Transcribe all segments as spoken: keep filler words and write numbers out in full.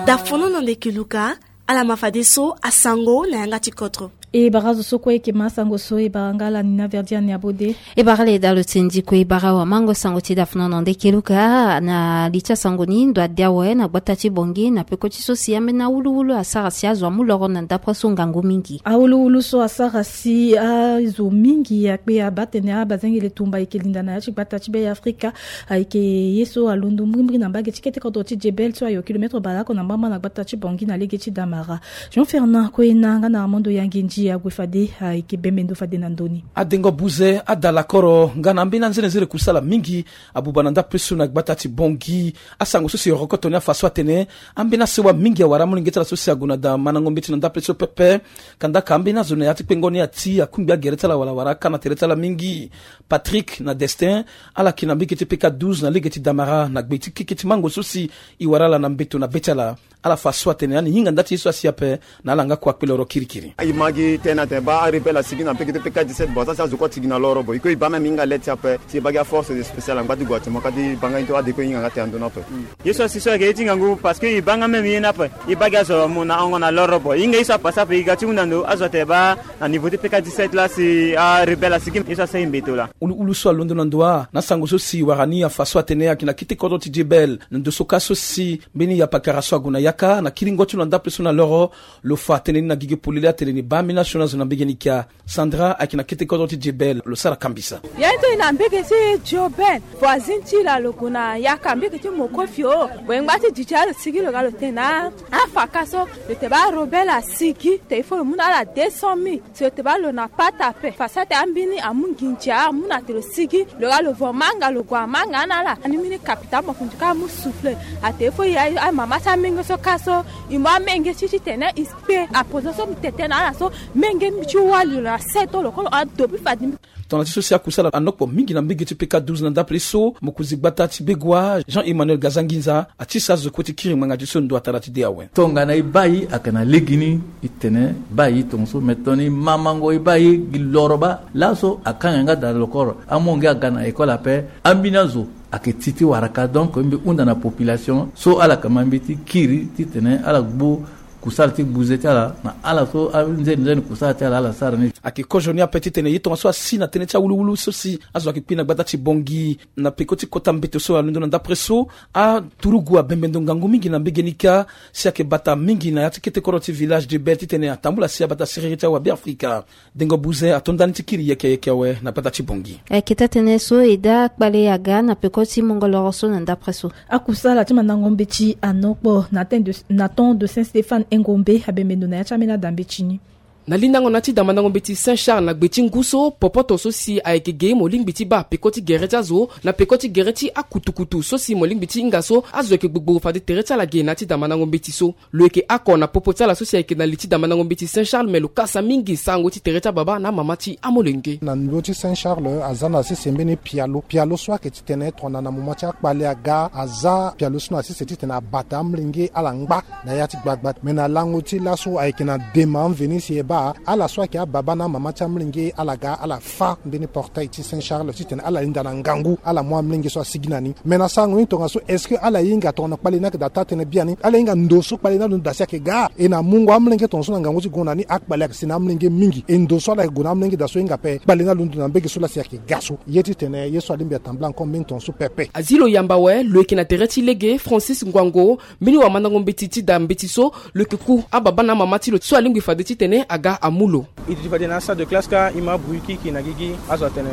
Dafono na ndeke luka. Ala ma fadeso asango na yanga ti kodro. E bara zo so kue eke ma asango so e bara nga ala ni na verdi ani abode. E bara le dalo tsendi kue e bara wa mango sango ti dafono na ndeke luka na li ti asango ni ndo ade awe na gbata ti bongi na peko ti so si ambeni awuluwulu asara si azo amu loro na ndapre so ngangu mingi. Awuluwulu so asara si azo mingi akpe abaa tene abazengele tumba eke linda na ya ti gbata ti be ya afrika. Ayeke ye so alondo mbrimbri na mbage ti kete kodro ti jebel so ayo kilometre baleoko na mbamba na gbata ti bongi na lege ti damara. Jean fernand koyena nga na armando yangenji ague fade ayeke bembe ndo fade na ndoni. Adengo buze ada lakoro nga na ambeni anzenenzere kusala mingi abuba na ndapre so na gbata ti bongi. Asango so si e rokoto ni afa so atene ambeni asewa mingi awara amolenge ti ala so si ague na da mandango mbeti na ndapre so pepe. Kandaka ambeni azo na ya ti kpengo ni ati akungbi agere ti ala wala awara aka na tere ti ala mingi. Patrick na destin ala yeke na mbege ti peka douze na lege ti damara na gbe ti keke ti mango so si e wara ala na mbeto na be ti ala. Ala fa so atene ani hinga nda ti ye so asi ape na ala nga kue akpe loro kirikiri. E ma gi tënë atene baa arebel asigi na mbege ti peka dix-sept bon aza si azo kue atigi na loro bon e kue e baa même e hinga lete ti ape si e baa gi aforce spéciale angba ti gue ati mo ka ti baa nga ye ti ade kue e hinga nga tënë ando ni ape. Ye so asi so ayeke ye ti ngangu parce que e baa nga même ye ni ape. E baa gi azo amu na hongo na loro bon e hinga ye so apasa ape e ga ti hunda ndo azo atene baa na niveau ti peka dix-sept laa si arebel asigi ye so asara e mbeto laa. Uluulu so alondo na ndo wa na sango so si wara ni afa so atene ayeke na kete kodro ti jebel na ndo so ka so si mbeni yapakara so ague na yaka na kiringo ti lo na ndapre so na loro. Lo fa tënë ni na gigi polele atene ni baa mbeni asioni azo na mbege ni kia. Sandra ayeke na kete kodro ti jebel lo sara kambisa. Ya ye ti e na mbege ti jebel voisine ti lo alogo na yaka mbege ti mokofi o. Boye ngba ti didi alo sigi lo ga lo tene na afa ka so lo te baa robel asigi te il faut lo mu na ala deux cent mille. Si lo te baa lo na pata ape fa so ate ambeni amu nginja amu na te lo sigi lo ga lo vo manga lo gue amanga na ala ani mbeni kapita mokundu ka amu souffle. Ate fo ya amama ti amenge so ka so e mu amenge ti titene e kpe aposo so mi tete na ala so menge ti wali lo na seto lo kolo adobi fadi. Tongana ti so si akusala anokpo mingi na mbege ti peka douze na ndapre so mokonzi gbata ti begua jean emmanuel gazanginza atisa azo kue ti kiri ngbanga ti so ndo atara ti de awe. Tongana e baa e ayeke na legeni e tene baa e tongaso me tongana e mamango e baa e gi loro baa laso akanga nga daa lokoro amonge aga na ekole ape. Ambeni azo ayeke ti ti waraka donc mbi hunda na population so ala yeke ma mbi ti kiri titene ala gbu kusala ti gbuze ti ala na ala so anzeni nzeni kusala ti ala ala sara ni. Ayeke kozo ni ape titene ye tongaso asi na tënë ti awuluwulu so si azo ayeke kpi na gbata ti bongi na peko ti kota mbeto so alondo na ndapre so. Aturugu abembe ndo ngangu mingi na mbege ni kâ si ayeke bata mingi na ya ti kete kodro ti village de bel titene atambula si abata siriri ti awabe afrika. Dengo buze ato ndani ti kiri yeke yeke awe na gbata ti bongi. Ayeke taa tënë so e daa kpale aga na peko ti mungo loro so na ndapre so. Akusala ti mandango mbeti anokpo na temps de saint stéphane engombe abembe ndo na ya ti ambeni ada mbeti ni. Na lindango na ti damandango mbeti saint charles na gbe ti ngu so popoto so si ayeke ge mo lingbi ti baa peko ti gere ti azo na peko ti gere ti akutukutu so si mo lingbi ti hinga so azo yeke gbogbo fade tere ti ala ge na ya ti damandango mbeti so. Lo yeke ako na popo ti ala so si ayeke na li ti damandango mbeti saint charles me lo kasa mingi sango ti tere ti ababa na amama ti amolenge. Na niveau ti saint charles aza na sese mbeni pialo pialo so ayeke titene tongana na moment ti akpale aga aza pialo so na sese titene abata amolenge ala ngba na ya ti gbagba. Me na lango ti laso ayeke na dema mveni si e baa ala so ayeke ababa na amama ti amolenge ala ga ala fa mbeni portail ti saint charles titene ala linda na ngangu ala mu amolenge so asigi na ni. Me na sango ni tongaso est-ce que ala hinga tongana kpale ni ayeke daa taa tënë biani ala hinga ndo so kpale ni alondo daa si ayeke ga e na mungo amolenge tongaso na ngangu ti gue na ni akpale ayeke si na amolenge mingi e ndo so ala yeke gue na amolenge daa so hinga ape kpale ni alondo na mbege so laa si ayeke ga so. Ye titene ye so alingbi atambula encore mbeni tongaso pepe. Azi lo yamba awe lo yeke na tere ti lege francis ngwango mbeni wamandango mbeti ti daa mbeti so lo yeke ku ababa na amama ti lo so alingbi fade titene aga amu lo. E duti fade na asalle de classe kâ e ma abruit kirikiri na gigi. Azo atene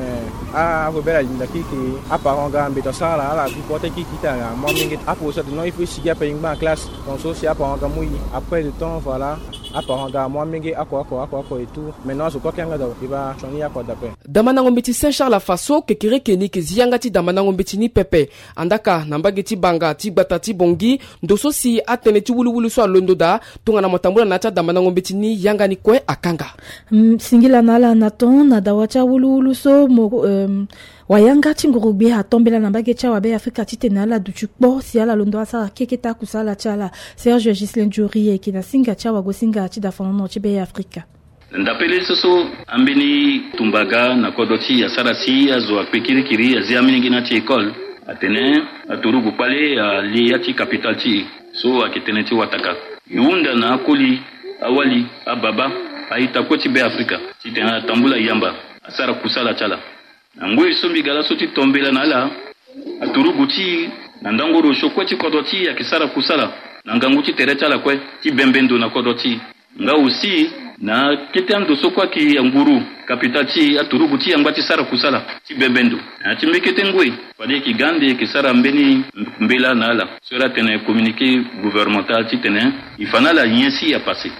arebel alinda kirikiri. Aparent aga mbeto asara ala ala gbu porte kirikiri ti ala mu amolenge ti apo so atene non il faut e sigi ape e ngba na classe. Donc so si aparent aga mu e après de temps voilà. Aparent aga amu amolenge oko oko oko oko et tout. Maintenant azo kue akanga daa e baa sioni oko daa ape. Damandango mbeti saint charles afa so kekereke ni yeke zi yanga ti damandango mbeti ni pepe. Andaka na mbage ti banga ti gbata ti bongi ndo so si atënë ti wuluwulu so alondo daa. Tongana mo tambula na ya ti adamandango mbeti ni yanga ni kue akanga. Singila na ala na ton na dawa ti awuluwulu so mo wayanga ti ngurugbi atombela na mbage ti awabe afrika titene ala duti kpo si ala londo asara keke ti akusala ti ala. Serge gislin juri ayeke na singa ti awagosinga ti dafonono ti be afrika. Ndapele so so ambeni tumbaga na kodro ti asara si azo akpe kirikiri azi amilenge na ti école. Atene aturugu kpale alie ya ti kapitale ti e so ayeke tënë ti wataka. E hunda na akoli, awali, ababa, a-ita kue ti Be Afrika titene atambula yamba asara kusala ti ala. Na ngoi so mbi ga laso ti to mbela na ala, aturugu ti e na ndango rosio kue ti kodro ti e ayeke sara kusala na ngangu ti tere ti ala kue ti bembe ndo na kodro ti e. Nga aussi na kete ando so kue ayeke anguru kapitale ti e, aturugu ti e angba ti sara kusala ti bembe ndo. Na ya ti mbekete ngoi fade e ke ga ande e ke sara mbeni mbela na ala so e la tene communiqué gouvernemental titene e fa na ala nyen si apassé.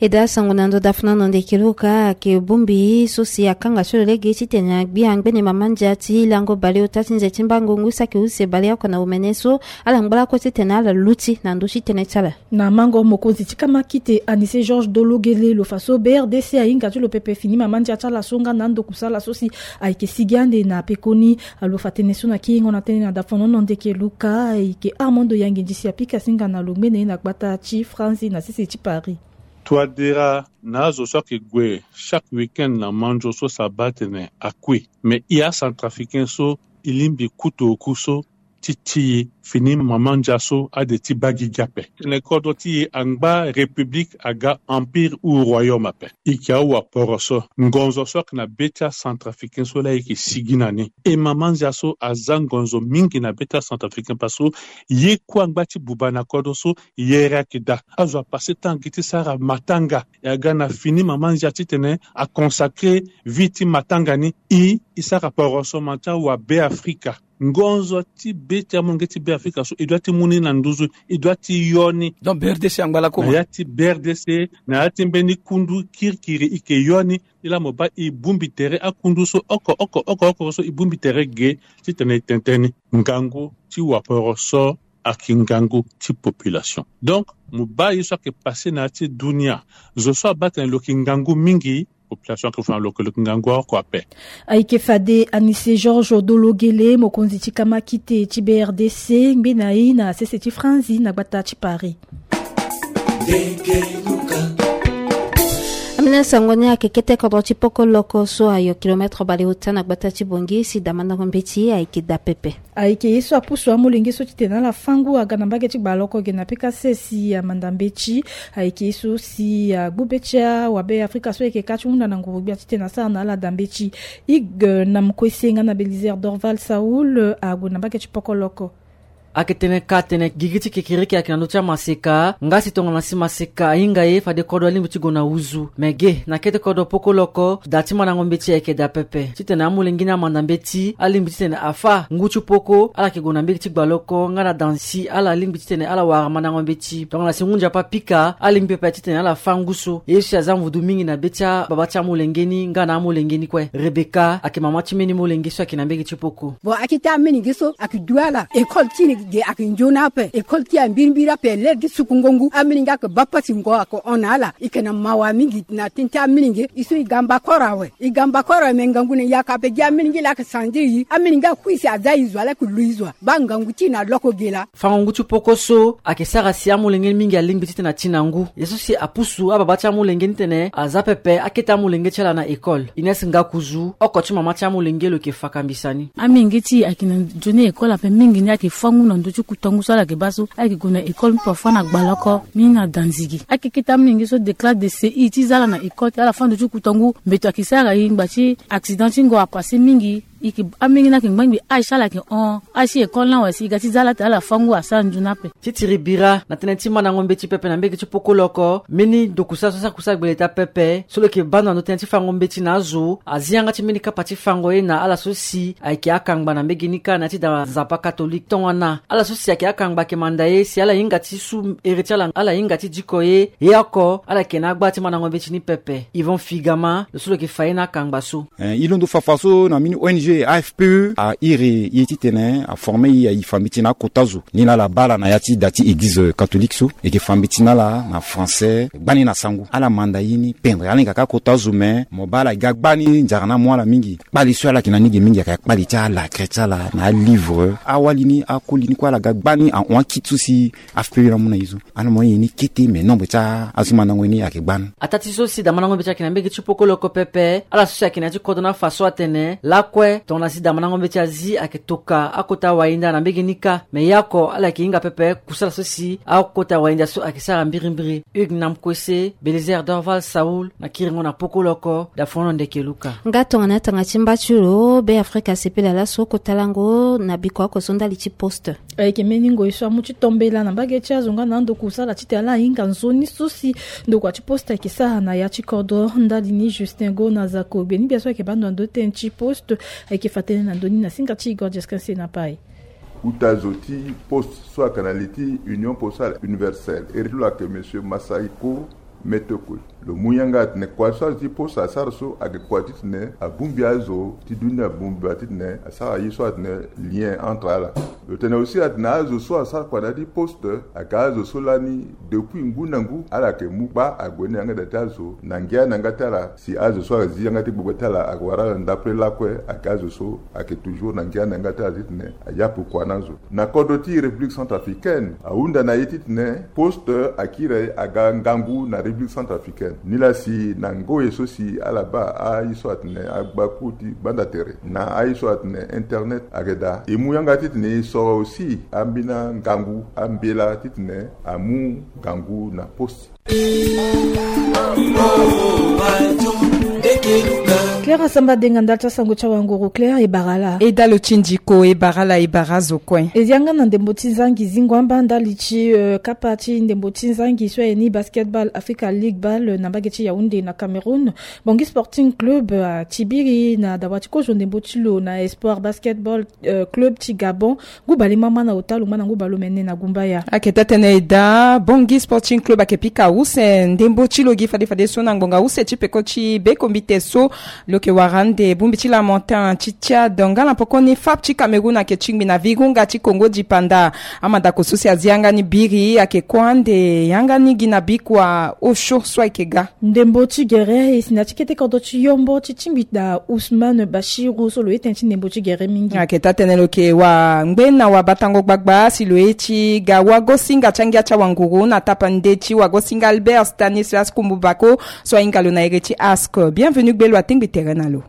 E daa sango na ndo dafuna na ndeke luka ayeke bongbi so si akanga so lo lege titene agbi angbene mama ndia ti lango baleota ti nze ti mbango ngu saki use baleoko na omene so ala ngba lakue titene ala luti na ndö ti tënë ti ala. Na mango mokonzi ti kamakite Anise Georges Dologele lo fa so B R D C ahinga ti lo pepe fini mama ndia ti ala so nga na ando kusala so si ayeke sigi ande na pekoni. Lo fa tënë so na kiringo na tënë na dafonono ndeke luka ayeke Armando Yange Ndisi apika singa na lo ngbene na gbata ti Franzi na sese ti Paris. Touadéra na azo so ayeke gue chaque week-end na manzo so si abaa atene akui. Mais e acentrafricain so e lingbi kutu oku so ti ti e fini mama ndia so ade ti baa gigi ape. Tene kodro ti e angba république aga empire ou royaume ape. E yeke awaporo so ngonzo so ayeke na be ti acentrafricain so laa e yeke sigi na ni. E mama ndia so aza ngonzo mingi na be ti acentrafricain parce que ye kue angba ti buba na kodro so yere ayeke daa. Azo apassé temps gi ti sara matanga. E aga na fini mama ndia titene aconsacré vie ti matanga ni. E, e sara poroso ma ti awa Be Afrika. Ngonzo ti be ti amolenge ti Be Afrika so e doit ti mu ni na nduzu, e doit ti yo ni. Donc B R D C angba lakue na ya ti B R D C, na ya ti mbeni kundu kirikiri e ke yo ni. Ti laa mo baa e bongbi tere akundu so oko oko oko oko so e bongbi tere ge titene e tene tënë ni. Ngangu ti waporo so ayeke ngangu ti population. Donc mo baa ye so ayeke passé na ya ti dunia, zo so abaa atene lo yeke ngangu mingi, population ayeke fa na lo yeke ngangu oko ape. Ayeke fade Anise Georges Dologele, mokonzi ti kamakite ti B R D C, ngbene na e na sese ti Franzi na gbata ti Paris. Ambeni sango ni ayeke kete kodro ti poko loko so ayo kilomètre baleota na gbata ti Bangui si damandango mbeti ayeke daa pepe. Ayeke ye so apusu amolenge so titene ala fâ ngu aga na mbage ti gbaloko ge na pekase si amanda mbeti. Ayeke ye so si agbu be ti awabe Afrika so ayeke ka ti hunda na nguru-gbia titene asara na ala daa mbeti. Hugues Namkwese nga na Belizaire Dorval Saul ague na mbage ti poko loko. Ayeke tene ka atene gigi ti kekereke ayeke na ndö ti amaseka nga si tongana si maseka ahinga ye fade kodro alingbi ti gue na huzu. Me ge na kete kodro poko loko daa ti mandango mbeti ayeke daa pepe titene amolenge ni amanda mbeti alingbi titene afâ ngu ti poko ala yeke gue na mbage ti gbaloko nga na daa si ala lingbi titene ala wara mandango mbeti. Tongana si ngu nzapa apika alingbi pepe titene ala fâ ngu so. Ye so si aza mvudu mingi na be ti ababa ti amolenge ni nga na amolenge ni kue. Rebeka ayeke mama ti mbeni molenge so ayeke na mbage ti poko. Bon, akete amolenge so ayeke du ala école ti e ge ayeke nzoni ape. École ti e ambirimbiri ape, l'heure ti sukungo ngu amolenge ayeke baa pasi ngo ayeke hon na ala. E yeke na mawa mingi na tënë ti amolenge. E so e ga mbakoro awe. E ga mbakoro awe me ngangu na yaka ape gi amolenge laa ayeke sandiri e. Amolenge akui si aza e zo ala yeke lu e zo. Baa ngangu ti e na loko ge laa. Fango ngu ti poko so ayeke sara si amolenge ni mingi alingbi titene ati na ngu. Ye so si apusu ababa ti amolenge ni titene aza pepe akete amolenge ti ala na école. Ines Ngakuzu, oko ti mama ti amolenge lo yeke fakambisa ni. Amolenge ti e ayeke na nzoni école ape mingi ni ayeke fâ ngu na ndö ti kuta ngu so ala yeke baa so ayeke gue na école mbi parfois na gbaloko mbi na danzigi. Ayeke kete amolenge so déclare de C I ti za ala na école ti ala fâ ndö ti kuta ngu mbeto ayeke sara e ngba ti accident ti ngo apassé mingi. E yeke amolenge ni ayeke ngbangbi âge ti ala ayeke hon. Âge ti école ni awe si e ga ti za ala atene ala fâ ngu asara nzoni ape. Ti tiri bira na tënë ti mandango mbeti pepe na mbage ti poko loko mbeni dokusa so asara kusa gbele taa pepe so lo yeke baa ndo na ndö tënë ti fango mbeti na azo azi yanga ti mbeni kapa ti fango ye na ala so si ayeke akangba na mbage ni kâ na ya ti daa nzapa katolike tongana ala so si ayeke akangba ayeke manda ye si ala hinga ti su here ti ala ala hinga ti diko ye. Ye oko ala yeke na agba ti mandango mbeti ni pepe. Yvon Figama lo so lo yeke fa ye na akangba so. Eh, e londo fafa so na mbeni O N G A F P E a iri e titene a forme e aye fa mbeti na akota zo ni laa ala baa ala na ya ti da ti église catholique so e yeke fa mbeti na ala na français gbani na sango ala manda ye ni pendre ala hinga kâ akota zo me mo baa ala ga gbani nzara ni amu ala mingi. Kpale so ala yeke na ni ge mingi ayeke akpale ti alakre ti ala na alivre awali ni akoli ni kue ala ga gbani ahon akiti so si A F P E ni amu na e so. Ana mo ye ni kete me nombre ti azo ti mandango ni ayeke gbani. Ataa ti so si daa mandango mbeti ayeke na mbage ti poko loko pepe ala so si ayeke na ya ti kodro ni afa so atene lakue Tongana si damandango mbeti azi ayeke toka akota wainda na mbege ni kâ. Me ya oko ala yeke hinga pepe kusala so si akota wainda so ayeke sara mbirimbiri. Hugues Namkwese, Belizaire Dorval Saul na kiringo na pokolo oko Dafono Ndeke Luka. Nga tongana tanga ti mba ti lo Be Afrika asepela laso kota lango na biko oko so ndali ti poste. Ayeke mbeni ngoi so amu ti tombela na mbage ti azo nga na ando kusala titene ala hinga nzoni so si ndokua ti poste ayeke sara na ya ti kodro ndali ni. Justin Go na Zako Gbeni bia so ayeke baa ndo na ndo tënë ti poste. Ayeke fa tënë na ndo ni na singa ti Igor Jesquin Senapai. Uta zo ti poste so ayeke na li ti Union Postale Universelle, iri ti lo ayeke Monsieur Masahiko Metokwe. Lo mu yanga atene kua so azo ti poste asara so ayeke kua titene abongbi azo ti dunia, abongbi atitene asara ye so atene lien entre ala. Lo tene aussi atene azo so asara kua na ya ti poste ayeke azo so lani depuis ngu na ngu ala yeke mu kpa ague ni yanga da ti azo na ngia na yanga ti ala. Si azo so azi yanga ti gbogbo ti ala ayeke wara ala ndapre lakue ayeke azo so ayeke toujours na ngia na yanga ti ala titene ayapu kua na azo. Na kodro ti République centrafricaine ahunda na ye titene poste akiri aga ngangu na République centrafricaine. Nilaa si na ngoi so si ala baa aye so atene agbaku ti gbanda tere na aye so atene internet ayeke daa, e mu yanga titene e soro aussi ambeni angangu ambela titene amu ngangu na poste. Claire Asamba Denga ndali ti asango ti awanguru. Claire, e bara laa? E dalo ti ndiko, e bara laa, e bara azo kue. E yanga na ndembo ti zangi zingo amba ndali ti, euh, kapa ti ndembo ti zangi so aye ni Basketball Africa League Ball na mbage ti Yaoundé na Cameroun. Bangui Sporting Club, euh, atibiri na dawa ti kozo ndembo ti lo na Espoir Basketball, euh, Club ti Gabon. Ngu bale mama na ota lo ngba na ngu bale omene na gumbaya. Ayeke taa tënë e daa, Bangui Sporting Club ayeke pika use ndembo ti lo gi fade fadeso na ngbonga use ti peko ti bekombite so lo yeke wara ande bongbi ti Lamantin ti Tchad nga na poko ni FAP ti Cameroun ayeke tingbi na vigonga ti Congo dipanda. Amadako so si azi yanga ni biri ayeke kue ande yanga ni gi na bikua osio so ayeke ga. Ndembo ti gere e si na ti kete kodro ti Yombo ti tingbi da Ousmane Bachiru so lo ye tënë ti ndembo ti gere mingi. Ayeke taa tënë lo yeke wangbe na wabatango gbagba si lo ye ti ga wagosinga ti angia ti awanguru na tapa nde ti wagosinga Albert Stanislas Kumbubako so ahinga lo na iri ti ASC. Bienvenu gbe lo atengbi tere na lo.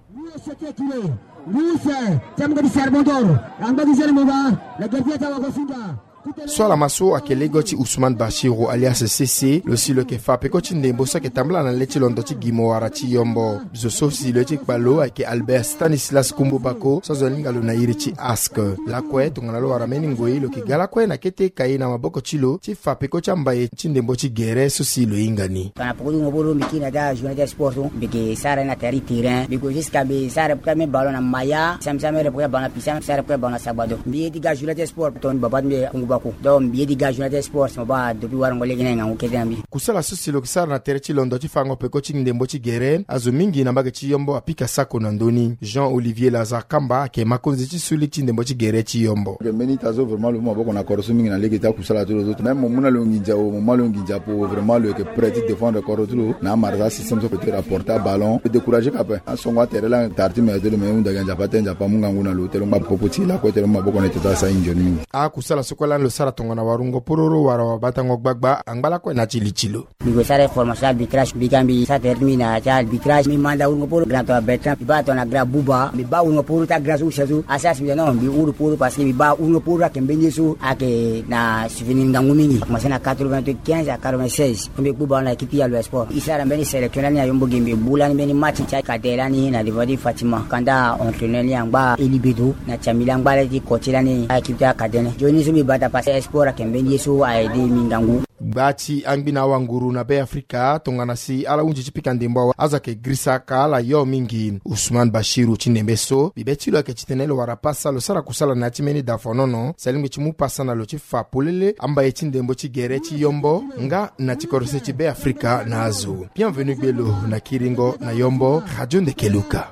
So ala ma so ayeke lego ti Ousmane Bachiru alias Sese, lo si lo yeke fa peko ti ndembo so ayeke tambula na le ti londo ti Gimo wara ti Yombo. Zo so si lo ye ti kpa lo ayeke Albert Stanislas Kumbubako so azo alinga lo na iri ti ASC. Lakue tongana lo wara mbeni ngoi lo yeke ga lakue na kete kaye na maboko ti lo ti fa peko ti ambaye ti ndembo ti gere so si lo hinga ni. Tongana poko ti wungo boro mbi kiri na ya ti ajournée ti sport so mbi yeke sara ye na tere ti terrain, mbi gue jusqu'à mbi sara ye ti ambeni ballon na Maya, si mbi sara ambeni poko ti ballon na Pisa, mbi sara ye ti ballon na Sagbado. Mbi ye ti ga ajournée ti sport tongana mbi baba ti mbi Kumbubako. Donc mbi ye ti ga ajournée ti sport si mbi baa depuis warango lege ni na ngangu kete na mbi. Kusala so si lo yeke sara na tere ti londo ti fango peko ti ndembo ti gere, azo mingi na mbage ti Yombo apika sako na ndö ni. Jean Olivier Lazare Kamba ayeke makonzi ti suli ti ndembo ti gere ti Yombo. Ayeke mbeni ita so vraiment lo mu maboko na kodro so mingi na lege ti akusala ti lo so. Même mo mu na lo nginza o, mo mu na lo nginza apo, vraiment lo yeke prêt ti défendre kodro ti lo. Na amarasa système so peut ti rapporter aballon, lo décourager ka ape. Asongo atere laa tara ti mene ti lo, me hunda gi anzapa te, nzapa amu ngangu na lo, ti lo ngba popo ti lakue ti lo mu maboko na ita ti asara nzoni mingi. Akusala so kue lani lo sara tongana warungo pororo wala wabatango gbagba angba lakue na ti li ti lo. Mbi gue sara formation arbitrage, mbi ga mbi sara tere ti mbi na ti arbitrage. Mbi manda wurungo poro grand tongana Bertrand, mbi baa tongana grand Bouba, mbi baa wurungo poro ti agrand so use so. Asara si mbi tene non, mbi wuru poro parce que mbi baa wurungo poro ayeke mbeni ye so ayeke na souvenir ngangu mingi. Akomanse na quatre-vingt-quinze à quatre-vingt-seize. Mbi kpu ballon na équipe ti Yalo Sport. E sara mbeni sélection lani na Yombo Gembe, bu lani mbeni match ti akade lani na devant ti Fatima. Kanda entraîneur ni angba Eli Beto na Chamila angba le ti coach lani a équipe ti akade ni. Nzoni so mbi bata parce que sport ayeke mbeni ye so a aidé mbi ngangu. Gba ti angbi na awanguru na Be Afrika tongana si ala hunzi ti pika ndembo awe, azo ayeke girisa ka ala yo mingi. Ousmane Bachiru ti ndembe so, bibe ti lo ayeke titene lo wara pasa lo sara kusala na ya ti mbeni dafonono si alingbi ti mu pasa na lo ti fa polele ambaye ti ndembo ti gere ti Yombo nga na ti kodro se ti Be Afrika na azo. Bienvenu gbe lo na kiringo na Yombo, Radio Ndeke Luka.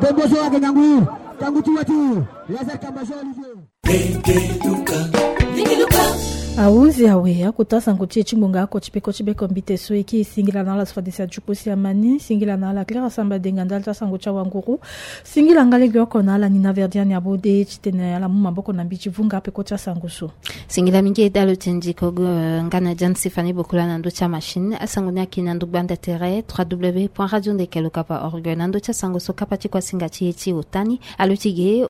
Ndembo so ayeke ngangu, ngangu ti wati, Lazare Kamba Jean Olivier. Ndeke Luka. Ndeke Luka. Ahunzi awe akota sango ti e ti ngbonga oko ti peko ti beko mbite so e kiri. Singila na ala so fadesi ajuku si amani. Singila na ala Clara Samba Denga ndali ti asango ti awanguru. Singila nga lege oko na ala Nina Verdiane Abode titene ala mu maboko na mbi ti vunga peko ti asango so. Singila mingi e dalo ti ndiko go, eh, nga na Jan Sifani Bokola na ndö ti amachine. Asango ni ayeke na ndo gbanda tere trois w point radio ndeke lokapa org. Na ndö ti asango so kapa ti kuasinga ti e ti ota ni alo ti ge